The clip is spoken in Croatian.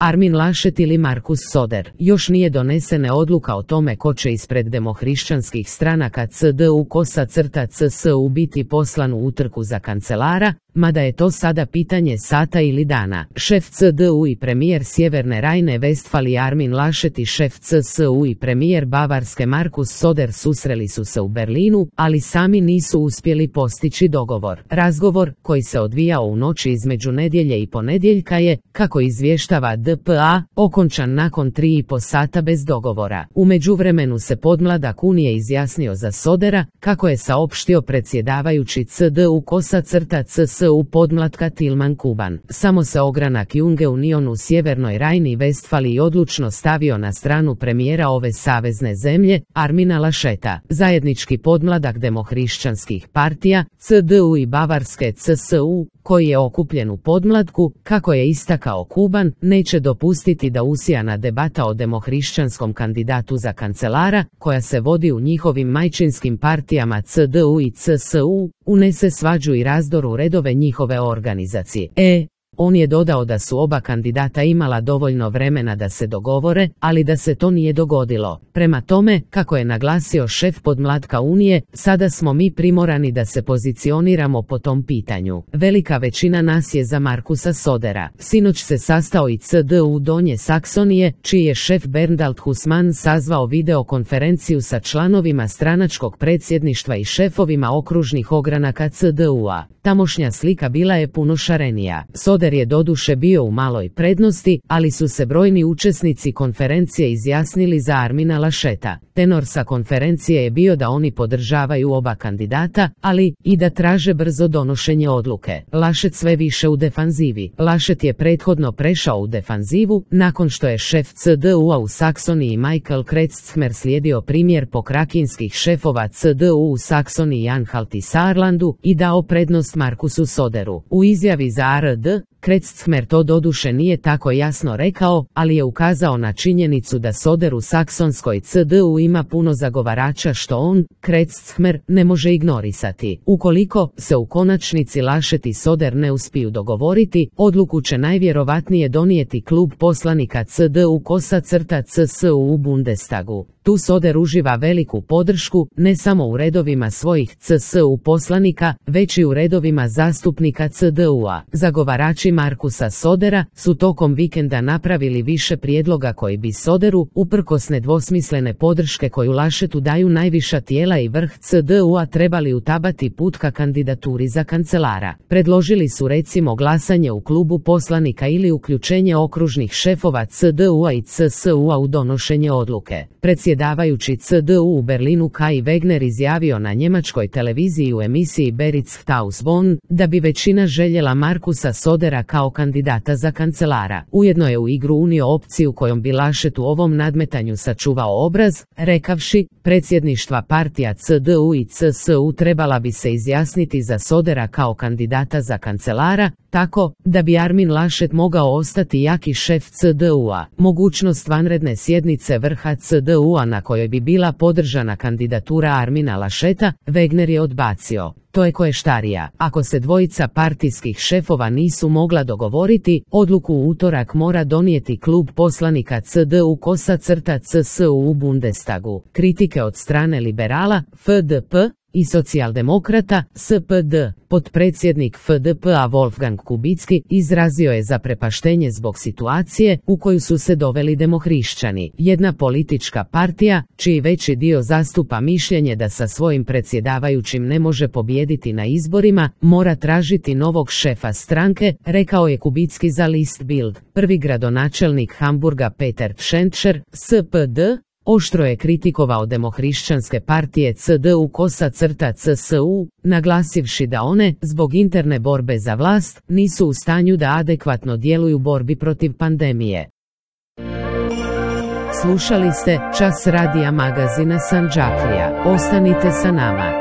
Armin Laschet ili Markus Söder. Još nije donesena odluka o tome ko će ispred demohrišćanskih stranaka CDU-CSU biti poslan u utrku za kancelara, mada je to sada pitanje sata ili dana. Šef CDU i premijer Sjeverne Rajne-Vestfalije Armin Laschet i šef CSU i premijer Bavarske Markus Söder susreli su se u Berlinu, ali sami nisu uspjeli postići dogovor. Razgovor, koji se odvijao u noći između nedjelje i ponedjeljka je, kako izvještava DPA, okončan nakon 3,5 sata bez dogovora. U međuvremenu se podmladak Unije izjasnio za Södera, kako je saopštio predsjedavajući CDU-CSU podmlatka Tilman Kuban. Samo se ogranak Junge Union u Sjevernoj Rajni-Vestfaliji odlučno stavio na stranu premijera ove savezne zemlje, Armina Lascheta. Zajednički podmladak demohrišćanskih partija, CDU i Bavarske CSU, koji je okupljen u podmlatku, kako je istakao Kuban, neće dopustiti da usijana debata o demohrišćanskom kandidatu za kancelara, koja se vodi u njihovim majčinskim partijama CDU i CSU, unese svađu i razdor u redove njihove organizacije. On je dodao da su oba kandidata imala dovoljno vremena da se dogovore, ali da se to nije dogodilo. Prema tome, kako je naglasio šef podmlatka Unije, sada smo mi primorani da se pozicioniramo po tom pitanju. Velika većina nas je za Markusa Södera. Sinoć se sastao i CDU Donje Saksonije, čiji je šef Berndald Hussmann sazvao videokonferenciju sa članovima stranačkog predsjedništva i šefovima okružnih ogranaka CDU-a. Tamošnja slika bila je puno šarenija. Söder je doduše bio u maloj prednosti, ali su se brojni učesnici konferencije izjasnili za Armina Lascheta. Tenor sa konferencije je bio da oni podržavaju oba kandidata, ali i da traže brzo donošenje odluke. Laschet sve više u defanzivi. Laschet je prethodno prešao u defanzivu, nakon što je šef CDU-a u Saksoniji Michael Kretschmer slijedio primjer pokrakinskih šefova CDU u Saksoniji i Anhalt i Saarlandu i dao prednost Markusu Söderu. U izjavi za ARD, Kretschmer to doduše nije tako jasno rekao, ali je ukazao na činjenicu da Söder u saksonskoj CDU ima puno zagovarača što on, Kretschmer, ne može ignorisati. Ukoliko se u konačnici Laschet i Söder ne uspiju dogovoriti, odluku će najvjerovatnije donijeti klub poslanika CDU-CSU u Bundestagu. Tu Söder uživa veliku podršku, ne samo u redovima svojih CSU poslanika, već i u redovima zastupnika CDU-a. Zagovarači Markusa Södera su tokom vikenda napravili više prijedloga koji bi Söderu, uprkos nedvosmislene podrške koju Laschetu daju najviša tijela i vrh CDU-a, trebali utabati put ka kandidaturi za kancelara. Predložili su recimo glasanje u klubu poslanika ili uključenje okružnih šefova CDU-a i CSU-a u donošenje odluke. Predsjedavajući CDU u Berlinu Kai Wegner izjavio na njemačkoj televiziji u emisiji Berichtshaus Bonn da bi većina željela Markusa Södera kao kandidata za kancelara. Ujedno je u igru unio opciju kojom bi Laschet u ovom nadmetanju sačuvao obraz, rekavši, predsjedništva partija CDU i CSU trebala bi se izjasniti za Södera kao kandidata za kancelara, tako da bi Armin Laschet mogao ostati jaki šef CDU-a. Mogućnost vanredne sjednice vrha CDU-a na kojoj bi bila podržana kandidatura Armina Lascheta, Wegner je odbacio. To je koještarija. Ako se dvojica partijskih šefova nisu mogla dogovoriti, odluku u utorak mora donijeti klub poslanika CDU-CSU u Bundestagu. Kritike od strane liberala, FDP i socijaldemokrata, SPD, potpredsjednik FDP-a Wolfgang Kubicki izrazio je zaprepaštenje zbog situacije u koju su se doveli demohrišćani. Jedna politička partija, čiji veći dio zastupa mišljenje da sa svojim predsjedavajućim ne može pobijediti na izborima, mora tražiti novog šefa stranke, rekao je Kubicki za List Bild. Prvi gradonačelnik Hamburga Peter Tschentscher, SPD, oštro je kritikovao demohrišćanske partije CDU-CSU, naglasivši da one, zbog interne borbe za vlast, nisu u stanju da adekvatno djeluju u borbi protiv pandemije. Slušali ste Čas radija magazina Sandžaklija. Ostanite sa nama.